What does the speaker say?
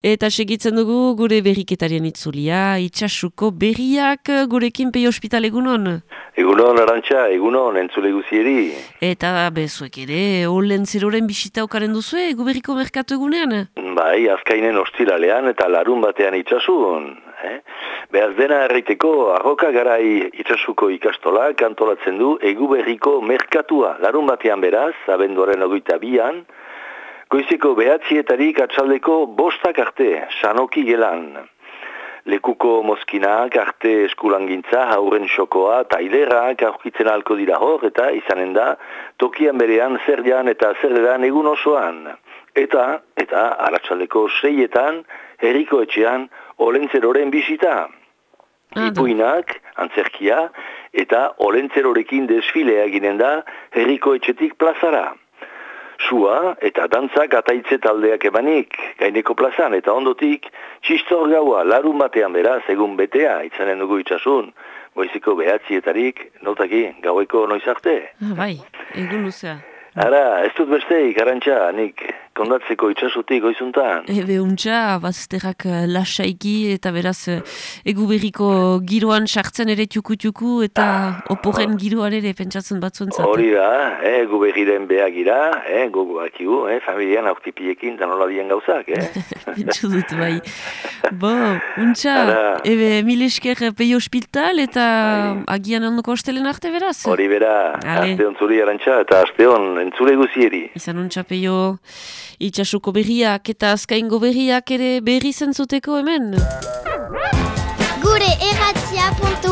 Eta segitzen dugu gure berriketarien itzulia, itxasuko berriak gurekin Peio Ospital egunon. Egunon, Arantxa, egunon, entzule guzieri. Eta bezuek ere, Olentzeroren bisita okaren duzue, egu berriko merkatu egunean? Bai, azkainen ostiralean eta larun batean itxasun. Behaz dena erraiteko, arroka garai itxasuko ikastola kantolatzen du egu berriko merkatua. Larun batean beraz, abenduaren 22an, goizeko 9:00 atxaldeko 5 arte, Sanoki gelan. Lekuko mozkinak, arte eskulangintza, hauren xokoa, tailerak aurkitzen ahalko dira hor, eta izanen da, tokian berean zer jan eta zer edan egun osoan. Eta arratsaldeko 6etan, herriko etxean, Olentzeroren bisita. Ipuinak, antzerkia, eta Olentzerorekin desfilea ginen da, herriko etxetik plazara. Sua eta dantzak ataitze taldeak emanik, gaineko plazan eta ondotik, txistor gaua larun batean beraz egun betea, itzanen dugu itxasun, goiziko 9:00 notaki, gaueko noiz arte. Bai, egun luzea. Ara, ez dut besteik, Arantxa, nik kondatzeko itxasutik goizuntan. Untxa, bazterrak lasaiki eta beraz egu berriko giroan sartzen ere txuku eta oporren giroan ere pentsatzen batzuentzat. Hori da, egu berriren behagira, gogoakigu, familian aurtipiekin da nola dien gauzak, Pentsu dut, bai. Bo, untxa, mil esker Peio Ospital eta agian ondoko ostelen arte beraz? Hori bera, aste hon zuri Arantxa eta aste hon entzule guzieri. Izan untxa Peio, itxasuko berriak eta azkaingo berriak ere berri zentzuteko hemen. Gure erratia.eus